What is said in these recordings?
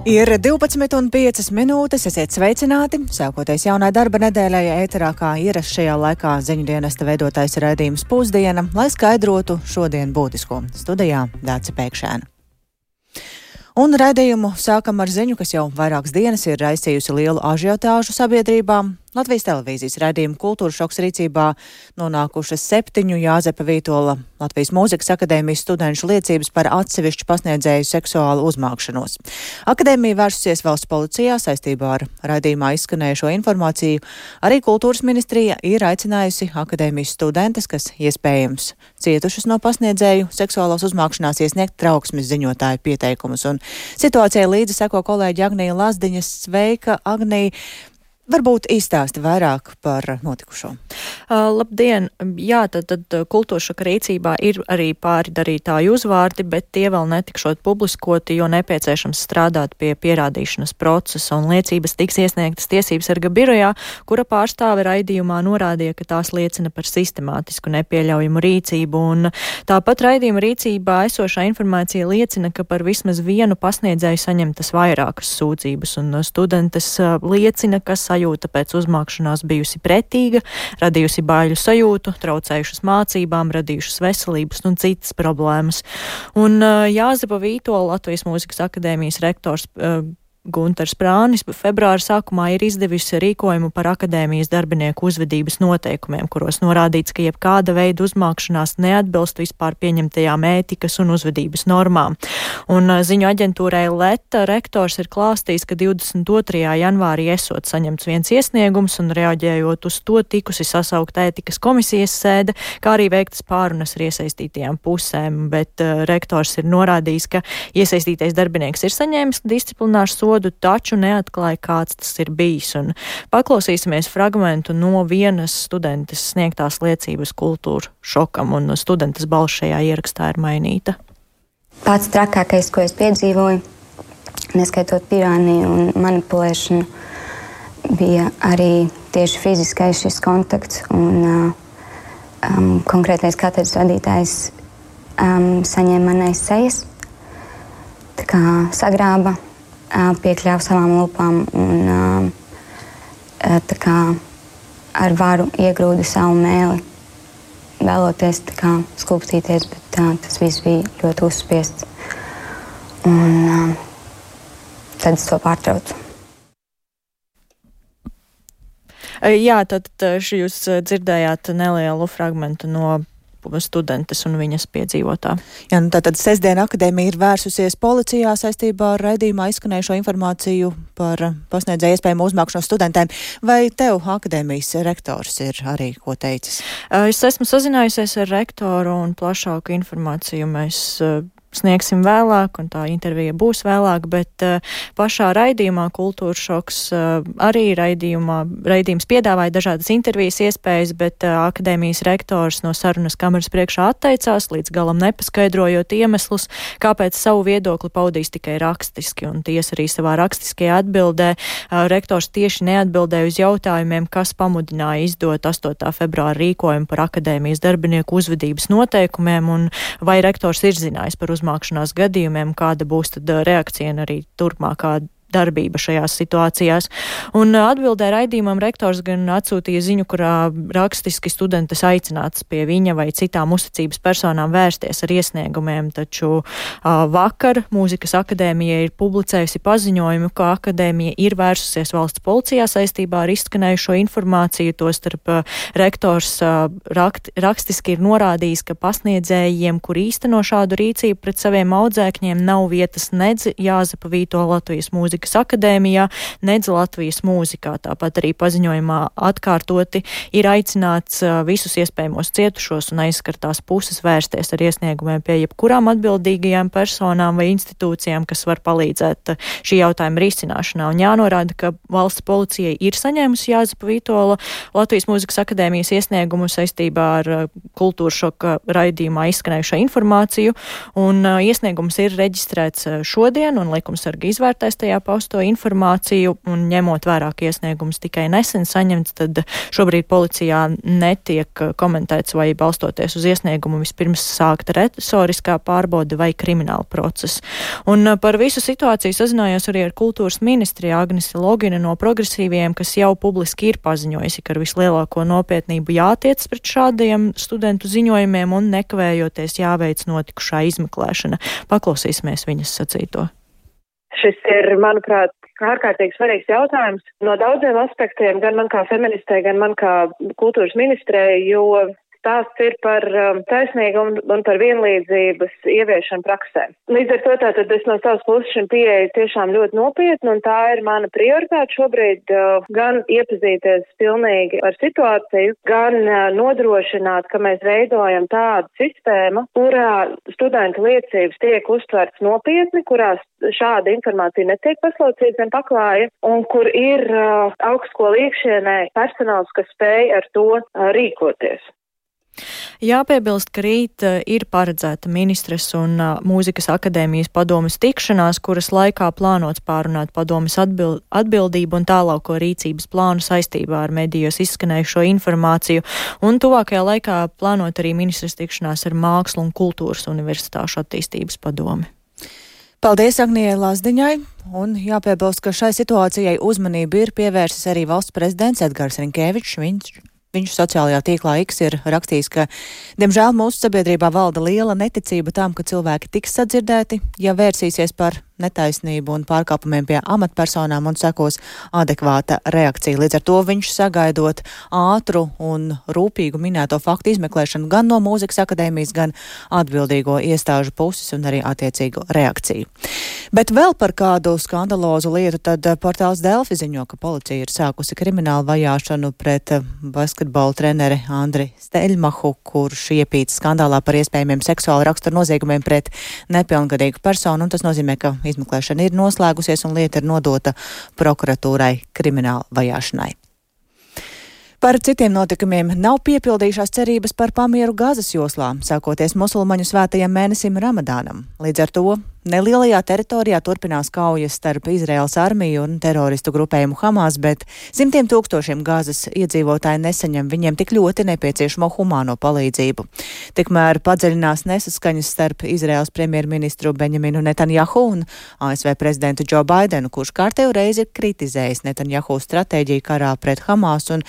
Ir 12,5 minūtes, esiet sveicināti. Sākoties jaunai darba nedēļai, ēterā kā ierasts šajā laikā ziņu dienesta veidotais raidījums Pusdiena, lai skaidrotu šodien būtisko. Studijā Dāce Pēkšēna. Un raidījumu sākam ar ziņu, kas jau vairākas dienas ir raisījusi lielu ažiotāžu sabiedrībā. Latvijas televīzijas raidījuma Kultūras šoks rīcībā nonākušas 7 Jāzepa Vītola Latvijas Mūzikas akadēmijas studenšu liecības par atsevišķu pasniedzēju seksuālu uzmākšanos. Akadēmija vērsusies valsts policijā saistībā ar raidījumā izskanējušo informāciju. Arī Kultūras ministrija ir aicinājusi akadēmijas studentes, kas iespējams cietušas no pasniedzēju seksuālās uzmākšanās, iesniegt trauksmes ziņotāju pieteikumus. Un situācijai līdzi seko kolēģi Agnija Lazdiņa. Sveika, Agnija! Varbūt izstāsti vairāk par notikušo. Labdien! Jā, tad Kultūras šoka rīcībā ir arī pāri darītāju uzvārdi, bet tie vēl netikšot publiskoti, jo nepieciešams strādāt pie pierādīšanas procesa, un liecības tiks iesniegtas tiesības sarga birojā, kura pārstāve raidījumā norādīja, ka tās liecina par sistemātisku nepieļaujamu rīcību, un tāpat raidījuma rīcībā esošā informācija liecina, ka par vismaz vienu pasniedzēju saņemtas vairākas sūdzības, un studentes liecina, ka sajūta pēc uzmākšanās bijusi pretīga, radījusi baiļu sajūtu, traucējušas mācībām, radījušas veselības un citas problēmas. Un Jāzepa Vītola Latvijas Mūzikas akadēmijas rektors Gunters Prānis februāra sākumā ir izdevusi rīkojumu par akadēmijas darbinieku uzvedības noteikumiem, kuros norādīts, ka jebkāda veida uzmākšanās neatbilst vispār pieņemtajām ētikas un uzvedības normām. Un ziņu aģentūrai Leta rektors ir klāstījis, ka 22. janvārī esot saņemts viens iesniegums un reaģējot uz to tikusi sasaukt ētikas komisijas sēde, kā arī veiktas pārunas ar iesaistītajām pusēm, bet rektors ir norādījis, ka iesaistītais darbinieks ir saņēmis disciplināšu sodu, taču neatklāja, kāds tas ir bijis. Un paklausīsimies fragmentu no vienas studentes sniegtās liecības Kultūra šokam, un studentes balss šajā ierakstā ir mainīta. Pats trakākais, ko es piedzīvoju, neskaitot tirāniju un manipulēšanu, bija arī tieši fiziskais šis kontakts, un konkrētais katedras vadītājs saņēma manais sejas, tā kā sagrāba, piekļāva savām lupām un tā kā ar varu iegrūda savu mēli, vēloties tā kā skulptīties, bet tas viss bija ļoti uzspiests. Un tad es to pārtraucu. Jā, tad jūs dzirdējāt nelielu fragmentu no studentes un viņas piedzīvotā. Jā, nu tātad sestdien akadēmija ir vērsusies policijā saistībā ar raidījumā izskanējušo informāciju par pasniedzēju iespējamu uzmākšanos studentēm. Vai tev akadēmijas rektors ir arī ko teicis? Es esmu sazinājusies ar rektoru un plašāku informāciju mēs sniegsim vēlāk, un tā intervija būs vēlāk, bet pašā raidījumā Kultūras šoks arī raidījums piedāvāja dažādas intervijas iespējas, bet akadēmijas rektors no sarunas kameras priekšā atteicās, līdz galam nepaskaidrojot iemeslus, kāpēc savu viedokli paudīs tikai rakstiski, un tiesa arī savā rakstiskajā atbildē rektors tieši neatbildēja uz jautājumiem, kas pamudināja izdot 8. februāra rīkojumu par akadēmijas darbinieku uzvedības noteikumiem, un vai rektors ir zinājis par uzmākšanās gadījumiem, kāda būs tad reakcija un arī turpmākā darbība šajās situācijās. Un atbildē raidījumam rektors gan atsūtīja ziņu, kurā rakstiski studentes aicināts pie viņa vai citām uzticības personām vērsties ar iesniegumiem, taču vakar Mūzikas akadēmija ir publicējusi paziņojumu, ka akadēmija ir vērsusies valsts policijā saistībā ar izskanējušo informāciju, tostarp rektors rakstiski ir norādījis, ka pasniedzējiem, kur īsteno šādu rīcību pret saviem audzēkņiem, nav vietas nedz Jāzepa Vītola Latvijas Mūzikas akadēmijā, nedz Latvijas mūzikā. Tāpat arī paziņojumā atkārtoti ir aicināts visus iespējamos cietušos un aizskartās puses vērsties ar iesniegumiem pie jebkurām atbildīgajām personām vai institūcijām, kas var palīdzēt šī jautājuma risināšanā. Un jānorāda, ka valsts policija ir saņēmusi Jāzepa Vītola Latvijas Mūzikas akadēmijas iesniegumu saistībā ar Kultūras šoka raidījumā izskanējušo informāciju, un iesniegums ir reģistrēts šodien, un likumsargi izvērtēs tajā pausto informāciju, un ņemot vairāk iesniegumus tikai nesen saņemts, tad šobrīd policijā netiek komentēts, vai balstoties uz iesniegumu vispirms sākta resoriskā pārbaude vai krimināla procesa. Un par visu situāciju sazinājos arī ar kultūras ministriju Agnese Logina no Progresīviem, kas jau publiski ir paziņojusi, ka ar vislielāko nopietnību jātiec pret šādiem studentu ziņojumiem un nekavējoties jāveic notikušā izmeklēšana. Paklausīsimies viņas sacīto. Šis ir, manuprāt, ārkārtīgi svarīgs jautājums no daudziem aspektiem, gan man kā feministei, gan man kā kultūras ministrei, jo stāsts ir par taisnīgumu un par vienlīdzības ieviešanu praksē. Līdz ar to tātad es no savas puses šim pieeju tiešām ļoti nopietni, un tā ir mana prioritāte šobrīd gan iepazīties pilnīgi ar situāciju, gan nodrošināt, ka mēs veidojam tādu sistēmu, kurā studentu liecības tiek uztverts nopietni, kurās šāda informācija netiek paslaucīta un paklāja, un kur ir augstskolu iekšienē personāls, kas spēj ar to rīkoties. Jāpiebilst, ka rīt ir paredzēta ministres un mūzikas akadēmijas padomes tikšanās, kuras laikā plānots pārunāt padomes atbildību un tālāko rīcības plānu saistībā ar medijos izskanējušo informāciju, un tuvākajā laikā plānot arī ministres tikšanās ar Mākslu un kultūras universitāšu attīstības padomi. Paldies Agnijai Lazdiņai, un jāpiebilst, ka šai situācijai uzmanību ir pievērsis arī valsts prezidents Edgars Rinkēvičs. Viņš sociālajā tīklā X ir rakstījis, ka, diemžēl, mūsu sabiedrībā valda liela neticība tam, ka cilvēki tiks sadzirdēti, ja vērsīsies par netaisnību un pārkāpumiem pie amatpersonām un sekos adekvāta reakcija. Līdz ar to viņš sagaidot ātru un rūpīgu minēto faktu izmeklēšanu gan no mūzikas akadēmijas, gan atbildīgo iestāžu puses un arī attiecīgu reakciju. Bet vēl par kādu skandalozu lietu, tad portāls Delfi ziņo, ka policija ir sākusi kriminālu vajāšanu pret basketbola treneri Andri Steļmahu, kurš iepīts skandālā par iespējamiem seksuāla rakstura noziegumiem pret nepilngadīgu personu, un tas nozīmē, ka izmeklēšana ir noslēgusies un lieta ir nodota prokuratūrai krimināla vajāšanai. Par citiem notikumiem nav piepildījušās cerības par pamieru Gazas joslā, sākoties musulmaņu svētajam mēnesim Ramadānam. Līdz ar to nelielajā teritorijā turpinās kaujas starp Izraēlas armiju un teroristu grupējumu Hamas, bet simtiem tūkstošiem Gazas iedzīvotāji nesaņem viņiem tik ļoti nepieciešamo humāno palīdzību. Tikmēr padziļinās nesaskaņas starp Izraēlas premjerministru Benjaminu Netanjahu un ASV prezidentu Džo Baidenu, kurš kārtējo reizi ir kritizējis Netanjahu stratēģiju karā pret Hamas. Un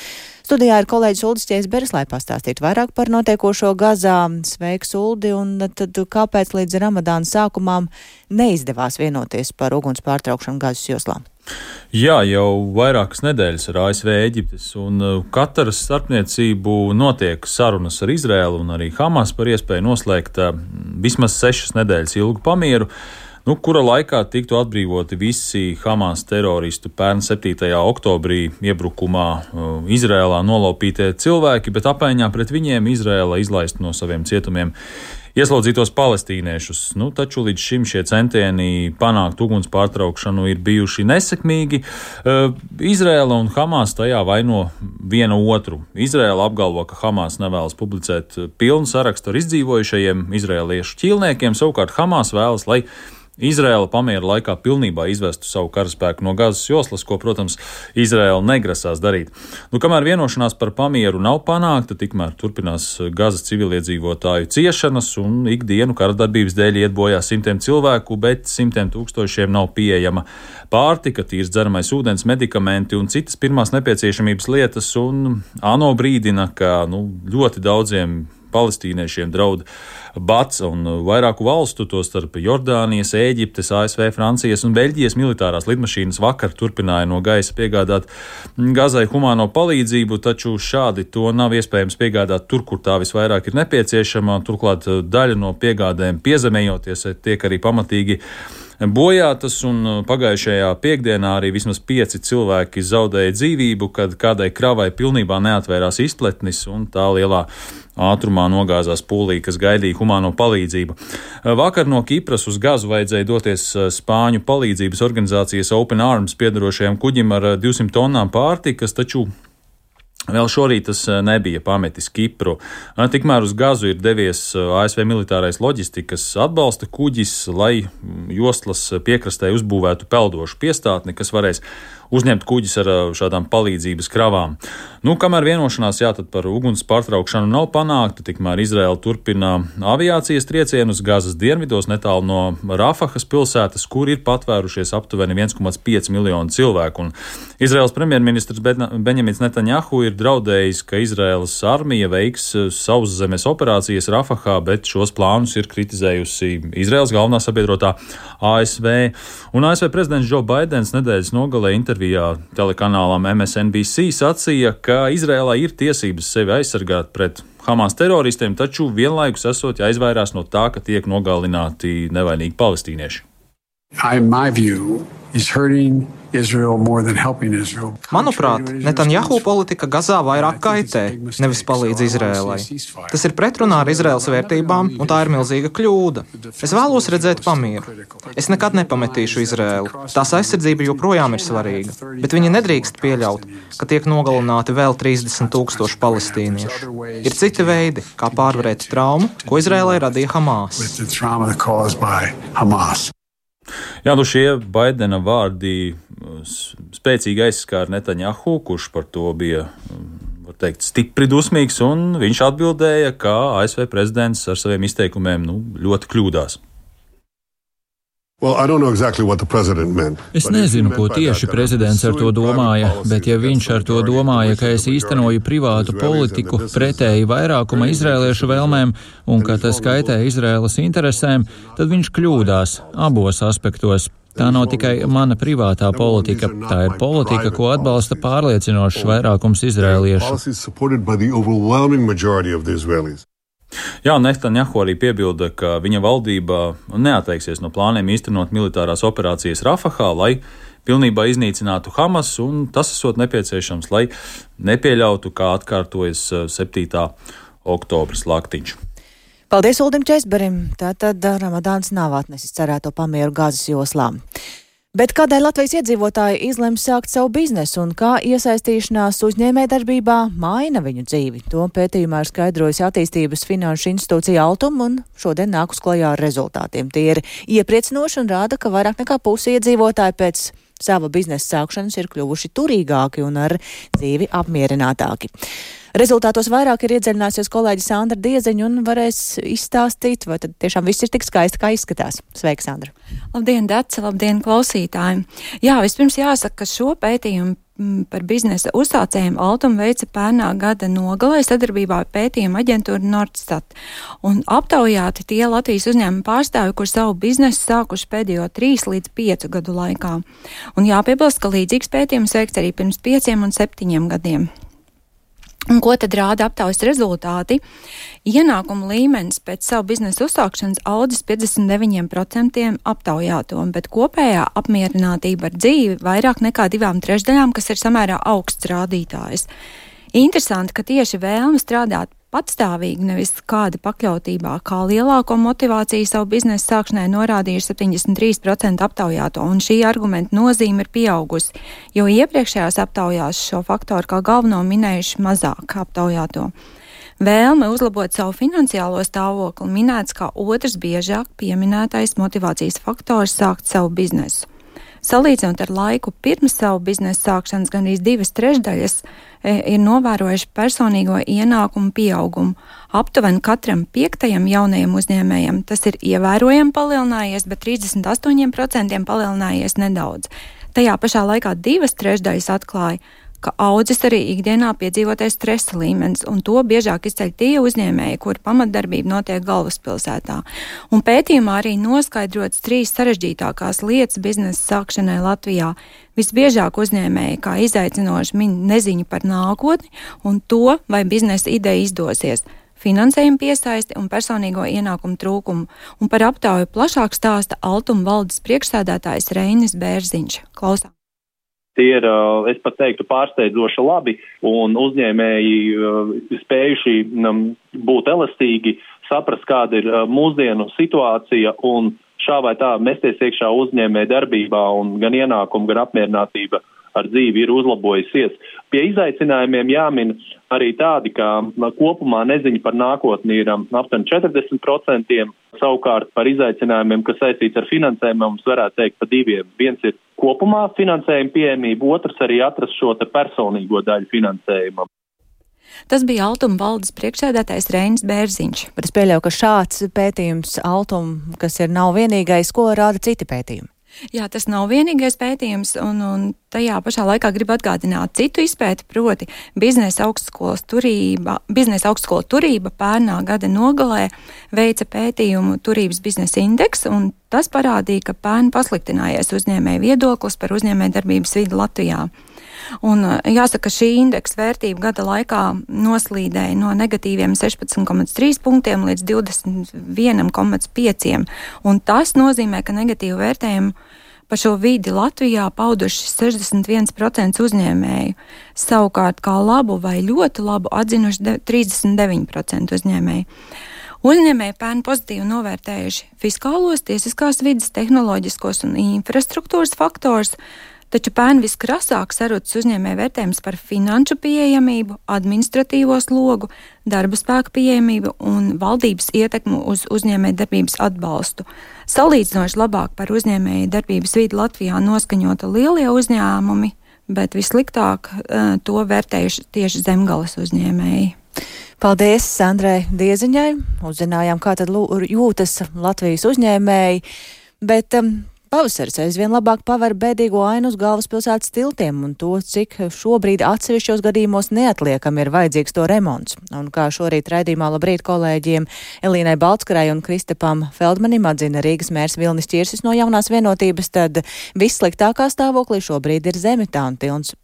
studijā ir kolēģis Uldis Ķēzberis, lai pastāstītu vairāk par notiekošo Gazā. Sveiks, Uldi, un tad kāpēc līdz Ramadāna sākumām neizdevās vienoties par uguns pārtraukšanu Gazas joslā? Jā, jau vairākas nedēļas ar ASV, Eģiptes un Kataras starpniecību notiek sarunas ar Izraēlu un arī Hamas par iespēju noslēgt vismaz 6 nedēļas ilgu pamieru, kura laikā tiktu atbrīvoti visi Hamas teroristu pērn 7. oktobrī iebrukumā Izrēlā nolaupītie cilvēki, bet apmaiņā pret viņiem Izrēla izlaist no saviem cietumiem ieslodzītos palestīniešus. Taču līdz šim šie centieni panākt uguns pārtraukšanu ir bijuši nesekmīgi. Izrēla un Hamas tajā vaino viena otru. Izrēla apgalvo, ka Hamas nevēlas publicēt pilnu sarakstu ar izdzīvojušajiem izrēliešu ķīlniekiem, savukārt Hamas vēlas, lai Izraēla pamiera laikā pilnībā izvestu savu karaspēku no Gazas joslas, ko, protams, Izraēla negrasās darīt. Kamēr vienošanās par pamieru nav panākta, tikmēr turpinās Gazas civiliedzīvotāju ciešanas un ikdienu karadarbības dēļ iet bojā simtiem cilvēku, bet simtiem tūkstošiem nav pieejama pārtika, tīrs dzeramais ūdens, medikamenti un citas pirmās nepieciešamības lietas, un ANO brīdina, ka ļoti daudziem palestīniešiem draud bats, un vairāku valstu, tostarp Jordānijas, Ēģiptes, ASV, Francijas un Beļģijas militārās lidmašīnas vakar turpināja no gaisa piegādāt Gazai humāno palīdzību, taču šādi to nav iespējams piegādāt tur, kur tā visvairāk ir nepieciešama. Turklāt daļa no piegādēm piezemējoties tiek arī pamatīgi bojātas, un pagājušajā piekdienā arī vismaz 5 cilvēki zaudēja dzīvību, kad kādai kravai pilnībā neatvērās izpletnis un tā lielā ātrumā nogāzās pūlī, kas gaidīja humāno palīdzību. Vakar no Kipras uz Gazu vajadzēja doties Spāņu palīdzības organizācijas Open Arms piedarošajam kuģim ar 200 tonnām pārtikas, taču Vēl šorīt tas nebija pametis Kipru. Tikmēr uz Gazu ir devies ASV militārais loģistikas atbalsta kuģis, lai jostlas piekrastē uzbūvētu peldošu piestātni, kas varēs uzņemt kuģis ar šādām palīdzības kravām. Kamēr vienošanās tad par uguns pārtraukšanu nav panākta, tikmēr Izraela turpina aviācijas triecienu uz Gazas dienvidos netālu no Rafahas pilsētas, kur ir patvērušies aptuveni 1,5 miljonu cilvēku. Un Izraels premjerministrs Benjamins Netanjahu ir draudējis, ka Izraēlas armija veiks sauszemes operācijas Rafahā, bet šos plānus ir kritizējusi Izraēlas galvenā sabiedrotā ASV. Un ASV prezidents Joe Baidens nedēļas nogalē intervijā telekanālam MSNBC sacīja, ka Izraēlā ir tiesības sevi aizsargāt pret Hamas teroristiem, taču vienlaikus esot jāizvairās no tā, ka tiek nogalināti nevainīgi palestīnieši. Manuprāt, Netanjahu politika Gazā vairāk kaitē, nevis palīdz Izrēlai. Tas ir pretrunā ar Izraēlas vērtībām, un tā ir milzīga kļūda. Es vēlos redzēt pamieru. Es nekad nepametīšu Izrēlu. Tās aizsardzība joprojām ir svarīga, bet viņi nedrīkst pieļaut, ka tiek nogalināti vēl 30,000 palestīniešu. Ir citi veidi, kā pārvarēt traumu, ko Izrēlai radīja Hamas. Šie Baidena vārdi spēcīgi aizskāra Netanjahu, kurš par to bija, var teikt, stipri dusmīgs, un viņš atbildēja, ka ASV prezidents ar saviem izteikumiem ļoti kļūdās. Es nezinu, ko tieši prezidents ar to domāja, bet ja viņš ar to domāja, ka es īstenoju privātu politiku pretēji vairākuma izrēliešu vēlmēm un ka tas kaitē Izrēlas interesēm, tad viņš kļūdās abos aspektos. Tā nav tikai mana privātā politika, tā ir politika, ko atbalsta pārliecinošs vairākums izrēliešu. Netanjahu arī piebilda, ka viņa valdība neatteiksies no plāniem īstenot militārās operācijas Rafahā, lai pilnībā iznīcinātu Hamas, un tas esot nepieciešams, lai nepieļautu, kā atkārtojas 7. oktobra slaktiņš. Paldies Uldim Česberim. Tātad Ramadāns nav atnesis cerēto pamieru Gazas joslām. Bet kādēļ Latvijas iedzīvotāji izlems sākt savu biznesu un kā iesaistīšanās uzņēmējdarbībā maina viņu dzīvi? To pētījumā ir skaidrojusi attīstības finanšu institūcija Altum un šodien nāk uz klajā ar rezultātiem. Tie ir iepriecinoši un rāda, ka vairāk nekā pusi iedzīvotāji pēc sava biznesa sākšanas ir kļuvuši turīgāki un ar dzīvi apmierinātāki. Rezultātos vairāk ir iedziļināsies kolēģi Sandra Dieziņa un varēs izstāstīt, vai tad tiešām viss ir tik skaisti, kā izskatās. Sveika, Sandra! Labdien, Dace! Labdien, klausītāji! Jā, vispirms jāsaka, ka šo pētījumu par biznesa uzsācējiem Altum veica pērnā gada nogalē sadarbībā ar pētījuma aģentūru Nordstat. Un aptaujāti tie Latvijas uzņēmuma pārstāvi, kur savu biznesu sākuši pēdējo 3 līdz 5 gadu laikā. Un jāpiebilst, ka līdzīgs pētījums veikts arī pirms 5 un 7 gadiem. Un ko tad rāda aptaujas rezultāti? Ienākuma līmenis pēc savu biznesa uzsākšanas audzis 59% aptaujāto, bet kopējā apmierinātība ar dzīvi vairāk nekā 2/3, kas ir samērā augsts rādītājs. Interesanti, ka tieši vēlme strādāt patstāvīgi, nevis kāda pakļautībā, kā lielāko motivāciju savu biznesa sākšanai norādījuši 73% aptaujāto, un šī argumenta nozīme ir pieaugusi, jo iepriekšējās aptaujās šo faktoru kā galveno minējuši mazāk aptaujāto. Vēlme uzlabot savu finansiālo stāvokli minēts kā otrs biežāk pieminētais motivācijas faktors sākt savu biznesu. Salīdzinot ar laiku pirms savu biznesa sākšanas, gandrīz 2/3 ir novērojuši personīgo ienākumu pieaugumu. Aptuveni katram 5. jaunajam uzņēmējam tas ir ievērojami palielinājies, bet 38% palielinājies nedaudz. Tajā pašā laikā 2/3 atklāja, ka audzis arī ikdienā piedzīvotais stresa līmenis, un to biežāk izceļ tie uzņēmēji, kur pamatdarbība notiek galvaspilsētā. Un pētījumā arī noskaidrots 3 sarežģītākās lietas biznesa sākšanai Latvijā. Visbiežāk uzņēmēji kā izaicinoši min neziņu par nākotni un to, vai biznesa ideja izdosies, finansējumu piesaisti un personīgo ienākumu trūkumu. Un par aptauju plašāk stāsta Altuma valdes priekšsēdētājs Reinis Bērziņš. Klausām! Tie ir, es pat teiktu, pārsteidzoši labi, un uzņēmēji spējuši būt elastīgi, saprast, kāda ir mūsdienu situācija, un šā vai tā mesties iekšā uzņēmēja darbībā, un gan ienākumu, gan apmierinātība ar dzīvi ir uzlabojusies. Pie izaicinājumiem jāmin arī tādi, ka kopumā neziņa par nākotni ir aptuveni 40%, savukārt par izaicinājumiem, kas saistīts ar finansējumu, mums varētu teikt pa diviem. Viens ir kopumā finansējuma pieejamība, otrs arī atrast šo te personīgo daļu finansējumam. Tas bija Altuma valdes priekšsēdētājs Reinis Bērziņš. Bet es pieļauju, ka šāds pētījums Altuma, kas nav vienīgais, ko rāda citi pētījumi. Jā, tas nav vienīgais pētījums, un tajā pašā laikā gribu atgādināt citu izpēti, proti biznesa augstskola turība pērnā gada nogalē veica pētījumu Turības biznesa indeks, un tas parādīja, ka pērn pasliktinājies uzņēmēju viedoklis par uzņēmējdarbības vidi Latvijā. Un jāsaka, šī indeksa vērtība gada laikā noslīdēja no negatīviem 16,3 punktiem līdz 21,5. Un tas nozīmē, ka negatīvu vērtējumu par šo vidi Latvijā pauduši 61% uzņēmēju. Savukārt kā labu vai ļoti labu atzinuši 39% uzņēmēju. Uzņēmēji pērn pozitīvi novērtējuši fiskālos, tiesiskās vides, tehnoloģiskos un infrastruktūras faktors, taču pērn viskrasāk sarucis uzņēmēju vērtējums par finanšu pieejamību, administratīvo slogu, darba spēka pieejamību un valdības ietekmu uz uzņēmēju darbības atbalstu. Salīdzinoši labāk par uzņēmēju darbības vidi Latvijā noskaņota lielie uzņēmumi, bet vissliktāk to vērtējuši tieši zemgales uzņēmēji. Paldies Sandrai Dieziņai. Uzzinājām, kā tad jūtas Latvijas uzņēmēji, bet pavasaris aizvien labāk paver bēdīgo ainu uz galvaspilsētas tiltiem un to, cik šobrīd atsevišķos gadījumos neatliekam ir vajadzīgs to remonts. Un kā šorīt raidījumā Labrīt kolēģiem Elīnai Baltskarai un Kristapam Feldmanim atzina Rīgas mērs Vilnis Ķirsis no Jaunās vienotības, tad vissliktākā stāvoklī šobrīd ir Zemitāna tilts,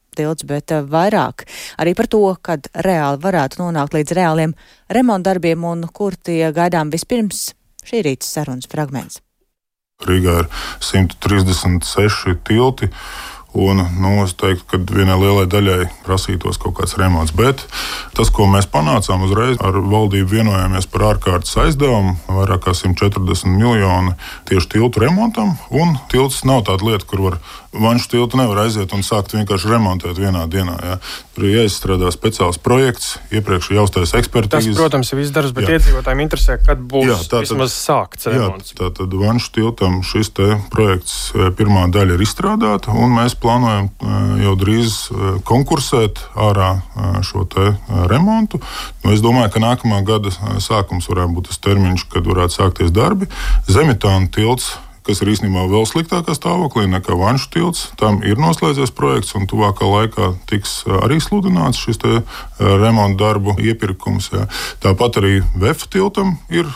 bet vairāk arī par to, kad reāli varētu nonākt līdz reāliem remontdarbiem un kur tie gaidām vispirms šī rīta sarunas fragments. Rīgā ir 136 tilti, un es teiktu, ka vienai lielai daļai prasītos kaut kāds remonts. Bet tas, ko mēs panācām uzreiz, ar valdību vienojāmies par ārkārtas aizdevumu, vairāk kā 140 miljoni tieši tiltu remontam, un tilts nav tāda lieta, kur var Vanšu tiltu nevar aiziet un sākt vienkārši remontēt vienā dienā. Ja. Tur ir jāizstrādā speciāls projekts, iepriekš jāuztais ekspertīzes. Tas, protams, ir viss darbs, bet iedzīvotājiem interesē, kad būs vismaz sākts remonts. Tātad Vanšu tiltam šis te projekts pirmā daļa ir izstrādāta, un mēs plānojam jau drīz konkursēt ārā šo te remontu. Es domāju, ka nākamā gada sākums varētu būt tas termiņš, kad varētu sākties darbi. Zemitāna tilts, kas ir īstenībā vēl sliktākā stāvoklī nekā Vanšu tilts. Tam ir noslēdzies projekts, un tuvākā laikā tiks arī sludināts šis te remonta darbu iepirkums. Jā. Tāpat arī Vefa tiltam ir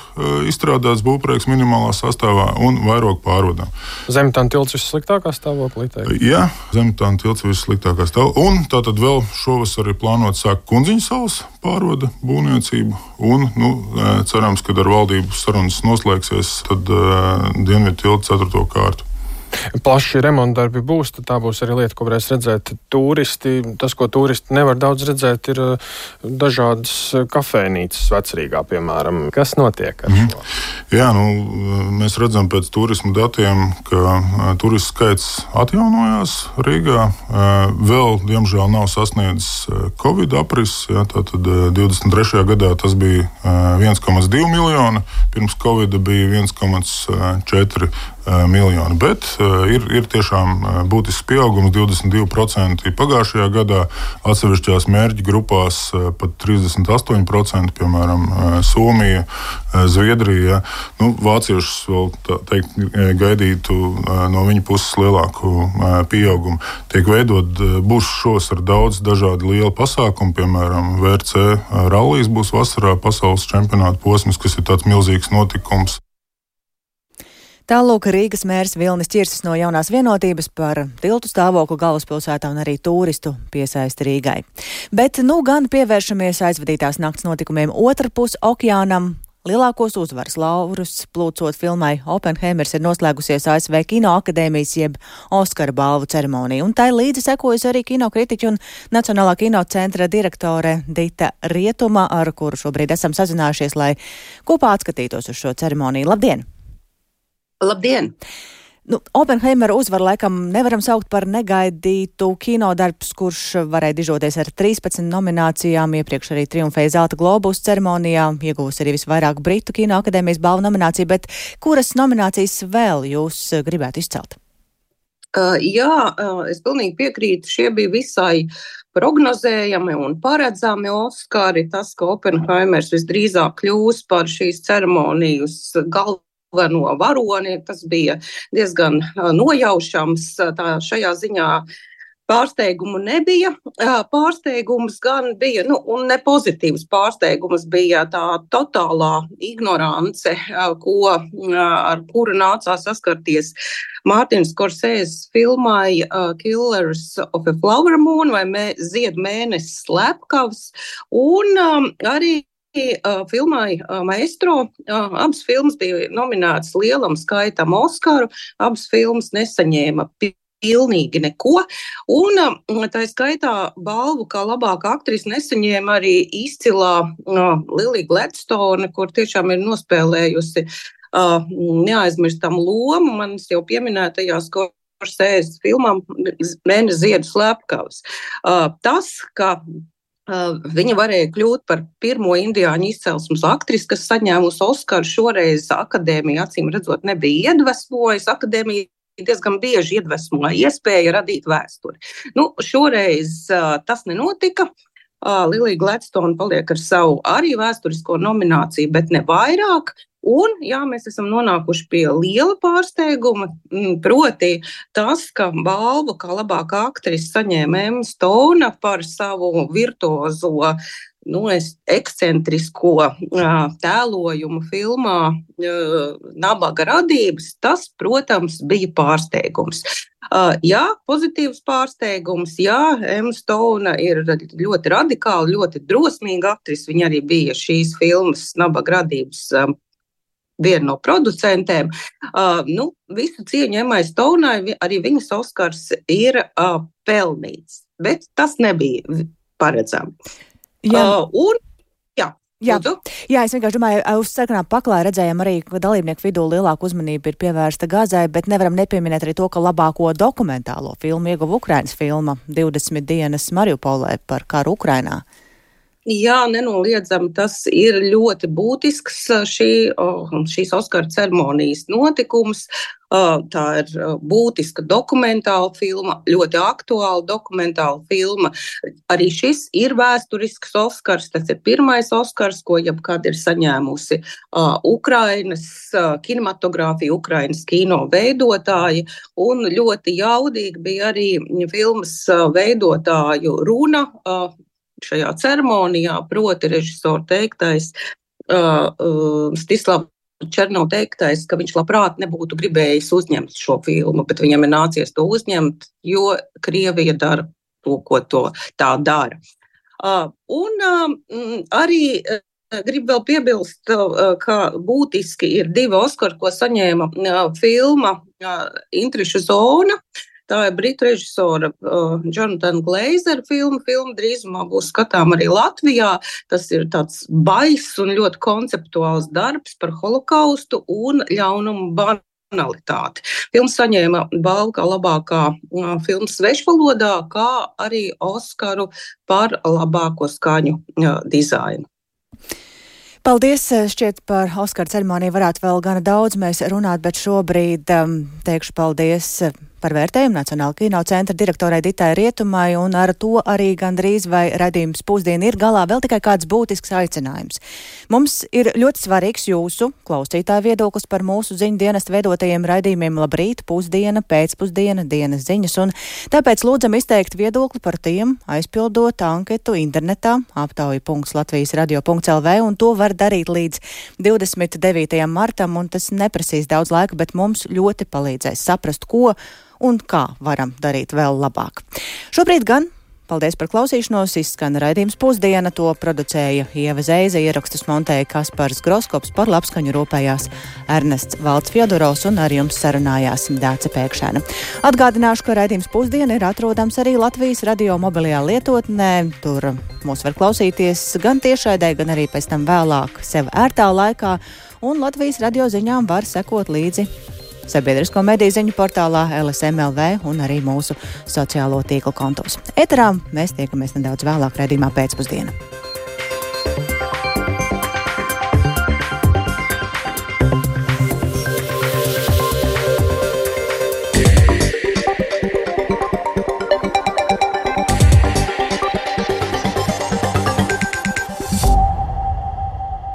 izstrādāts būvprojekts minimālā sastāvā un vairogu pārvadām. Zemitāna tilts vissliktākā stāvoklī? Jā, Zemitāna tilts vissliktākā stāvoklī. Un tātad vēl šovasar ir plānot sākt Kundziņu salas pārvada būvniecību, un cerams, kad ar valdību sarunas noslēgsies, tad Dienvidu tiltu 4. kārtu. Plaši remontdarbi būs, tad tā būs arī lieta, ko varēs redzēt turisti. Tas, ko turisti nevar daudz redzēt, ir dažādas kafejnīcas Vecrīgā, piemēram. Kas notiek ar šo? Jā, mēs redzam pēc turismu datiem, ka turistu skaits atjaunojās Rīgā. Vēl, diemžēl, nav sasniedzis Covid apris. Jā, tātad 23. gadā tas bija 1,2 miljoni, pirms Covida bija 1,4 miljoni, bet ir tiešām būtisks pieaugums, 22% pagājušajā gadā, atsevišķās mērķu grupās pat 38%, piemēram, Somija, Zviedrija. Vāciešus vēl gaidītu no viņa puses lielāku pieaugumu. Tiek būs šovasar daudz dažādi lieli pasākumi, piemēram, VRC rallijs būs vasarā, pasaules čempionāta posms, kas ir tāds milzīgs notikums. Tālūk Rīgas mērs Vilnis Ķirsis no Jaunās vienotības par tiltu stāvokli galvaspilsētā un arī turistu piesaisti Rīgai. Bet gan pievēršamies aizvadītās nakts notikumiem otrpus okeānam. Lielākos uzvaras laurus plūcot filmai Oppenheimers ir noslēgusies ASV Kinoakadēmijas jeb Oskara balvu ceremonija, un tai līdzi sekojas arī kinokritiķi un Nacionālā kinocentra direktore Dita Rietuma, ar kuru šobrīd esam sazinājušies, lai kopā atskatītos uz šo ceremoniju. Labdien! Labdien! Oppenheimera uzvaru laikam nevaram saukt par negaidītu kinodarbs, kurš varēja dižoties ar 13 nominācijām, iepriekš arī triumfēja Zelta Globus ceremonijā, iegūs arī visvairāk Britu kino akadēmijas balvu nomināciju, bet kuras nominācijas vēl jūs gribētu izcelt? Es pilnīgi piekrītu, šie bija visai prognozējami un paredzami Oskari. Tas, ka Oppenheimers visdrīzāk kļūs par šīs ceremonijas galveno varoni, tas bija diezgan nojaušams. Šajā ziņā pārsteigumu nebija. Pārsteigums gan bija, un ne pozitīvs pārsteigums bija tā totālā ignorance, ar kuru nācās saskarties Mārtiņš Skorsēzes filmai Killers of a Flower Moon vai Zied mēnesis slepkavs, un arī filmai Maestro. Abas filmas bija nominētas lielam skaitam Oskaru, abas filmas nesaņēma pilnīgi neko, un tā skaitā balvu kā labākā aktrisa nesaņēma arī izcilā Lilija Gladstone, kur tiešām ir nospēlējusi neaizmirstam lomu manis jau pieminētajā Skorsēzes filmām Mēnesis ziedu slepkavs. Tas, ka viņa varēja kļūt par pirmo indiāņu izcelsmes aktrisi, kas saņēmusi Oskaru, šoreiz akadēmija acīm redzot nebija iedvesmojusi. Akadēmija diezgan bieži iedvesmoja iespēja radīt vēsturi. Šoreiz tas nenotika. Lilija Gladstone paliek ar savu arī vēsturisko nomināciju, bet ne vairāk. Un, mēs esam nonākuši pie liela pārsteiguma, proti tas, ka balvu kā labākā aktrisa saņēma Emma Stone par savu virtuozo, ekscentrisko tēlojumu filmā Nabaga radības. Tas, protams, bija pārsteigums. Pozitīvs pārsteigums, Emma Stone ir ļoti radikāla, ļoti drosmīga aktrise. Viņa arī bija šīs filmas Nabaga radības viena no producentēm. Visu cieņu Emmai Stonai, arī viņas Oskars ir pelnīts, bet tas nebija paredzami. Es vienkārši domāju, uz sarkanā paklā redzējām arī, ka dalībnieku vidū lielāka uzmanība ir pievērsta Gazai, bet nevaram nepieminēt arī to, ka labāko dokumentālo filmu ieguva Ukrainas filma 20 dienas Mariupolē par karu Ukrainā. Nenoliedzami tas ir ļoti būtisks šīs Oskara ceremonijas notikums. Tā ir būtiska dokumentāla filma, ļoti aktuāla dokumentāla filma. Arī šis ir vēsturisks Oskars, tas ir pirmais Oskars, ko jebkad ir saņēmusi Ukrainas kinematogrāfija, Ukrainas kino veidotāji, un ļoti jaudīgi bija arī filmas veidotāju runa šajā ceremonijā, proti režisora teiktais, Stislava Černova teiktais, ka viņš labprāt nebūtu gribējis uzņemt šo filmu, bet viņam ir nācies to uzņemt, jo Krievija dara to, ko tā dara. Arī gribu vēl piebilst, ka būtiski ir 2 Oskari, ko saņēma filma Intrišu zona. Tā ir britu režisora Jonathan Glazera filma. Filma drīzumā būs skatām arī Latvijā. Tas ir tāds baiss un ļoti konceptuāls darbs par holokaustu un ļaunumu banalitāti. Filma saņēma balvu kā labākā filma svešvalodā, kā arī Oskaru par labāko skaņu dizainu. Paldies, šķiet par Oskara ceremoniju varētu vēl gana daudz mēs runāt, bet šobrīd teikšu paldies par vērtējumu Nacionāla kino centra direktorai Ditai Rietumai, un ar to arī gandrīz vai raidījums Pusdiena ir galā. Vēl tikai kāds būtisks aicinājums. Mums ir ļoti svarīgs jūsu klausītāju viedoklis par mūsu ziņu dienesta veidotajiem raidījumiem Labrīt, Pusdiena, Pēcpusdiena, Dienas ziņas, un tāpēc lūdzam izteikt viedokli par tiem, aizpildot anketu internetā aptauja.latvijasradio.lv, un to var darīt līdz 29. martam, un tas neprasīs daudz laika, bet mums ļoti palīdzēs saprast, ko un kā varam darīt vēl labāk. Šobrīd gan paldies par klausīšanos, izskan raidījums Pusdiena, to producēja Ieva Zeize, ierakstus montēja Kaspars Groskops, par labskaņu rūpējās Ernests Valds Fjodorovs un ar jums sarunājās Dāce Pēkšēna. Atgādināšu, ka raidījums Pusdiena ir atrodams arī Latvijas radio mobilajā lietotnē. Tur mūs var klausīties gan tiešraidē, gan arī pēc tam vēlāk sev ērtā laikā, un Latvijas radio ziņām var sekot līdzi sabiedrisko mediju ziņu portālā LSM.LV un arī mūsu sociālo tīklu kontos. Eterā mēs tiekamies nedaudz vēlāk raidījumā pēcpusdiena.